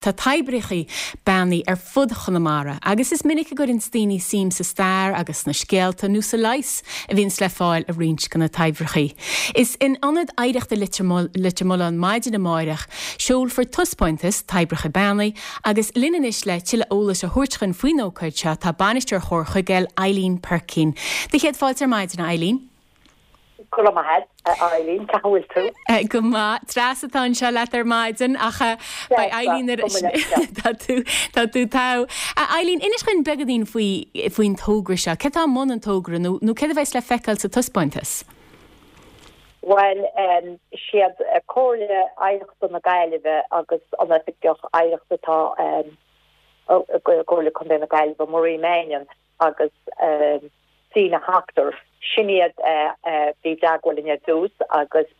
Tá toibreacha beannaithe ar fud Chonamara agus is minic a gcuireanns daoine suim sa stair agus sna scéalta nó sa leigheas a bhíonns le fáil i roinnt de na toibreacha. Is in Ionad Oidhreachta Leitir Mealláin maidin amáireach seolfar taispeántas Toibreacha Beannaithe agus linn anois le tuilleadh eolais a thabhairt chuinn faoin ócáid seo tá Bainisteoir Chomhar Chuigéil, Eileen Perkin. Do chéad fáilte ar maidin, a Eileen. Go raibh maith agat, a Eileen. Cén chaoi a bhfuil tú? Go maith. Treasa atá anseo leat ar maidin ach beidh Eileen ar Tá tú tá tú togha. A Eileen, inis dhuinn beagáinín faoi faoin togra seo. Céard atá i mbun an togra nó nó céard a bheas le feiceáil sa taispeántas? Bhuel, is iad Comhairle Oidhreachta na Gaillimhe agus an Oifigeach Oidhreachta atá i gComhairle Contae na Gaillimhe, Maureen Mannion, agus Sina Hoctor. Sin iad a bhí i dteagmháil linn ar dtús agus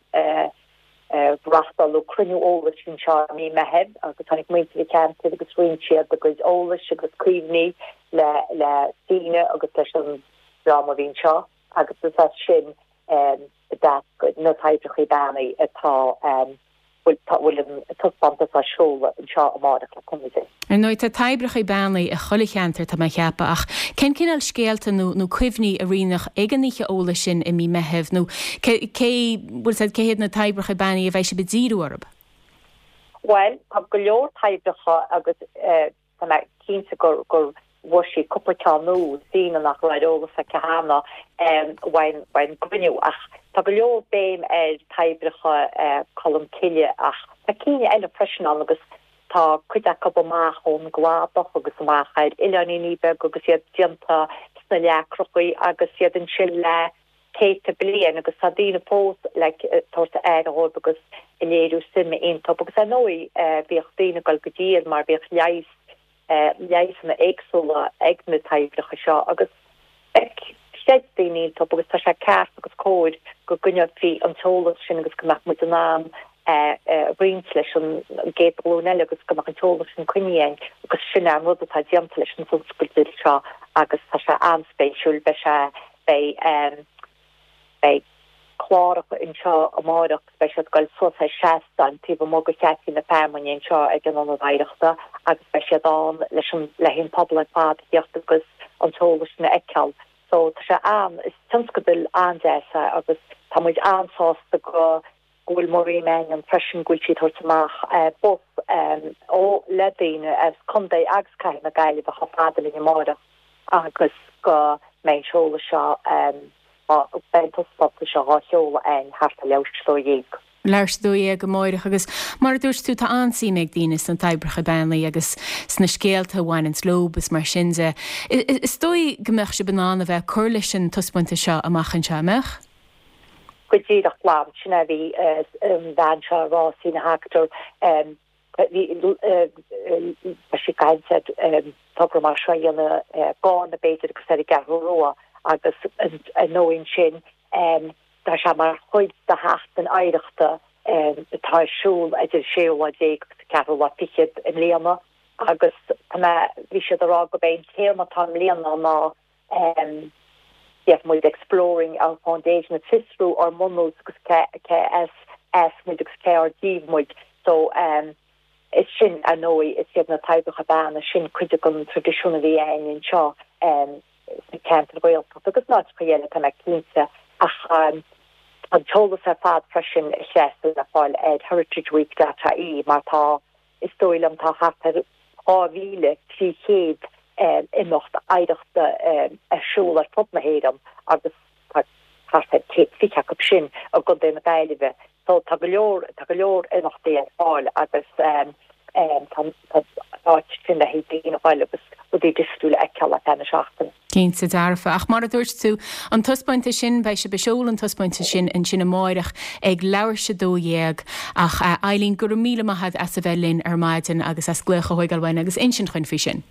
reáchtáladh cruinniú eolais anseo i mí Meithimh agus tháinig muintir an cheantair agus roinn siad a gcuid eolais agus cuimhní le le Sina agus leis an dream a bhí anseo agus is as sin a d'eascair na toibreacha beannaithe atá bhfuil an taispeántas á seoladh anseo amárach le cúnamh Dé. Ar ndóigh, tá toibreacha beannaithe i chuile cheantar, tá mé a cheapadh, ach cén cineál scéalta nó nó cuimhní a roinneadh ag an oíche eolais sin i mí Meithimh nó cé, cé, bhfuil 's a'd, cé hiad na toibreacha beannaithe a bheidh sibh ag díriú orthu? Bhuel, tá go leor toibreacha agus Tá mé cinnte gur gur bhfuair sí cúpla ceann nua, Sina nach raibh ar eolas aici cheana ón gcruinniú. Ach tá go leor béim ar toibreacha Cholm Cille ach tá cinn eile freisin ann agus tá cuid acu amach ón gcladach agus amach ar oileáiníní beaga agus iad déanta sna leacrachaí agus iad ansin le céadta bliain agus tá daoine fós like ag tabhairt aire dhóibh agus ag léiriú suime iontu agus ar ndóigh bhíodh daoine ag dul go dtí iad mar bhíodh leigheas leigheasanna éagsúla ag na toibreacha seo agus like chreid daoine iontu agus tá sé ceart agus cóir go gcoinneofaí an t-eolas sin agus go mbeadh muid in ann é a roinnt leis an gcéad ghlúin eile agus go mbeadh an t-eolas sin coinnithe againn agus sin é an rud atá déanta leis an tionscadal seo agus tá sé an-spéisiúil beidh sé Beidh beidh cláracha anseo amáireach agus beidh siad ag dul suas ar seastáin taobh amuigh de Cheaifé na Feamainne anseo ag an Ionad Oidhreachta agus beidh siad ann leis an le haghaidh an pobal ar fad a theacht agus an t-eolas sin a fheiceáil. So tá sé an, is tionscadal an-deas é agus tá muid an-sásta go go bhfuil Maureen Mannion freisin, go bhfuil sí ag tabhairt amach bus ó le daoine as Contae agus Cathair na Gaillimhe chomh fada linn amáireach agus go mbeidh an seoladh seo, beidh an taispeántas seo dhá sheoladh againn thart ar leathuair tar éis 12. Leathuair tar éis 12 amáireach agus mar a dúirt tú tá an-suim ag daoine sna toibreacha beannaithe agus sna scéalta a bhaineanns leob is mar sin de. Is dóigh go mbeadh sibh in ann a bheith ag cur leis an taispeántas seo amach anseo, an mbeadh? Go díreach glan, sin é a bhí an bhean seo ag rá, Sina Hoctor, bhí, tá sí ag caint ar togra mar seo a dhéanamh i gCarna b'fhéidir agus ar an gCeathrú Rua agus ar ndóigh ansin tá sé mar chuid de Sheachtain Oidhreachta atá ar siúl idir an séú lá déag agus an ceathrú lá fichead i mbliana agus tá mé, bhí siad ag rá gurb é an téama atá i mbliana ná Déarfaidh muid exploring our foundation, ag fiosrú ár mbunús agus cé as as muid agus cé ár díobh muid. So is sin, ar ndóigh, is iad na toibreacha beannaithe sin cuid den traidisiún a bhí againn anseo sna ceantair Ghaeltachta agus in áiteacha eile, tá mé cinnte. Ach tá an t-eolas ar fad freisin, a Threasa, le fáil ar heritageweek dot ie mar tá Is dóigh liom tá thart ar 2,300 imeacht oidhreachta ar siúl ar fud na hÉireann agus tá thart ar 120 acu sin i gContae na Gaillimhe. So tá go leor, tá go leor imeachtaí ar fáil agus tá tá áit sin le haghaidh daoine a ghoil agus rudaí difriúla a fheiceáil ar feadh na seachtaine. Cinnte dearfa. Ach mar a dúirt tú, an taispeántas sin, beidh sibh ag seoladh an taispeántas sin ansin amáireach ag leathuair tar éis 12. Ach a Eileen, go raibh míle maith a't as a bheith linn ar maidin agus as glaoch a thóigeáil uainn agus insint dhuinn faoi sin.